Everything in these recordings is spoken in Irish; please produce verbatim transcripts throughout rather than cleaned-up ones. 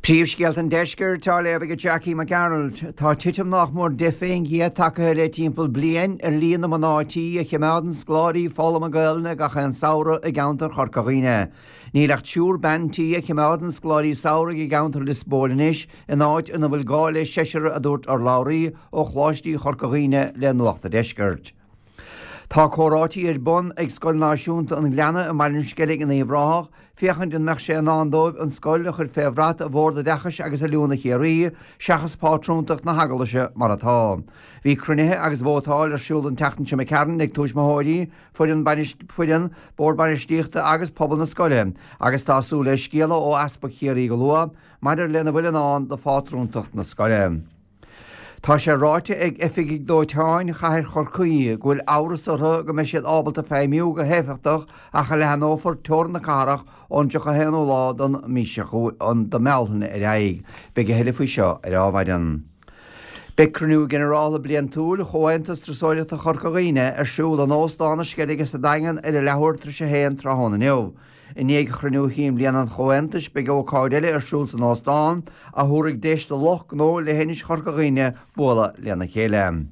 Príomhscéalta an Deiscirt á léamh ag Jackie Mac Gearailt. Tá titim nach mór deich faoin gcéad tagtha le timpeall bliain ar líon na mná tí a chimeádann scoláirí foghlama Gaelainne gach aon samhradh i gceantar Chorca Dhuibhne. Níl ach triúr bean tí a chimeádann scoláirí samhraidh i gceantar Lios Póil anois in áit ina bhfuil gá le seisear a dúirt urlabhraí ó Choláistí Chorca Dhuibhne le Nuacht an Deiscirt. Tá comhráití ar bun ag Scoil Náisiúnta an Ghleanna i mBaile an Sceilg in Uíbh Ráthach, féachaint an mbeadh sé in ann dóibh an scoil a chur fé bhrat Bhord Oideachais agus Oiliúna Chiarraí, seachas pátrúntacht na hEaglaise mar atá. Bhí cruinnithe agus vótáil ar siúl an tseachtain seo imigh tharainn ag tuismitheoirí, foireann foireann, bord bainistíochta agus pobal na scoile, agus tá súil le scéala ó Easpag Chiarraí go luath maidir lena bhfuil in ann do phátrúntacht na scoile. Tá sé ráite ag oifigigh dóiteáin chathair Chorcaí go bhfuil amhras orthu go mbeidh siad ábalta feidhmiú go héifeachtach ach a leathnófar teorainn na cathrach ón tríocha haonú lá den mhí seo de Bhealtaine ar aghaidh. Beidh a thuilleadh faoi seo ar Adhmhaidin. Beidh cruinniú ginearálta bliantúil Chomhaontas Turasóireachta Chorca Dhuibhne ar siúl in Óstán na Sceilge sa Daingean ar a leathuair tar éis a haon tráthnóna inniu. I ndiaidh chruinniú chinn bliana an Chomhaontais beidh ócáid eile ar siúl san óstán a thabharfaidh deis do lucht gnó leithinis Chorca Dhuibhne bualadh lena chéile.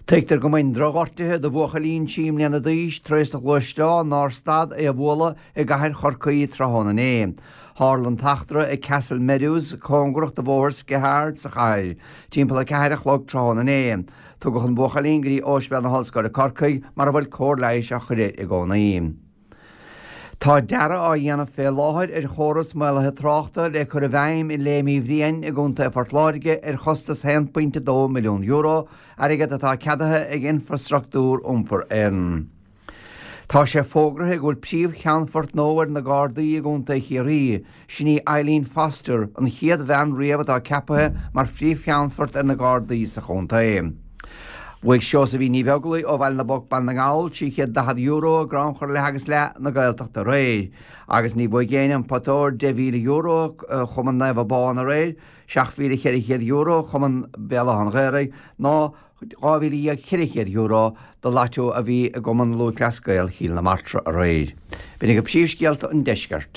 Tuigtear go mbain drochghortuithe do bhuachaillín trí mbliana d'aois tar éis do ghluaisteán nár stad é a bhualadh i gcathair Chorcaí tráthnóna inné. Tharla an t-eachtra ag Castle Meadows cóngarach do bhóthar Skehard sa chathair, timpeall a ceathair a chlog tráthnóna inné. Tugadh an buachaillín go dtí Ospidéal na hOllscoile Corcaigh mar a bhfuil cóir leighis á chur air i gcónaí. Tá dearadh á dhéanamh fé láthair ar chóras maolaithe tráchta le cur i bhfeidhm i Léim Uí Bhriain i gContae Phort Láirge ar chostas haon pointe dó milliún euro, airgead atá ceadaithe ag Infrastruchtúr Iompair Éireann. Tá sé fógraithe go bhfuil príomh-cheannfort nua ar na Gardaí i gContae Chiarraí, sin í Eileen Foster, an chéad bhean riamh atá ceaptha mar phríomh-cheannfort ar na Gardaí sa chontae. Bhuaigh Seosaimhín Ní Bheaglaoich ó Bhaile na bPoc Baile na nGall trí chéad daichead euro i gcrannchur leath agus leath na Gaeltachta aréir, agus ní bhuaigh éinne an pota óir deich mhíle euro Chumann Naomh Abán aréir, seacht mhíle cheithre chéad euro Chumann Bhéal Átha an Ghaorthaidh ná dhá mhíle dhéag ceithre chéad euro do Lotto a bhí i gCumann Lúthchleas Gael Chill na Martra aréir. B'in iad príomhscéalta an deiscirt.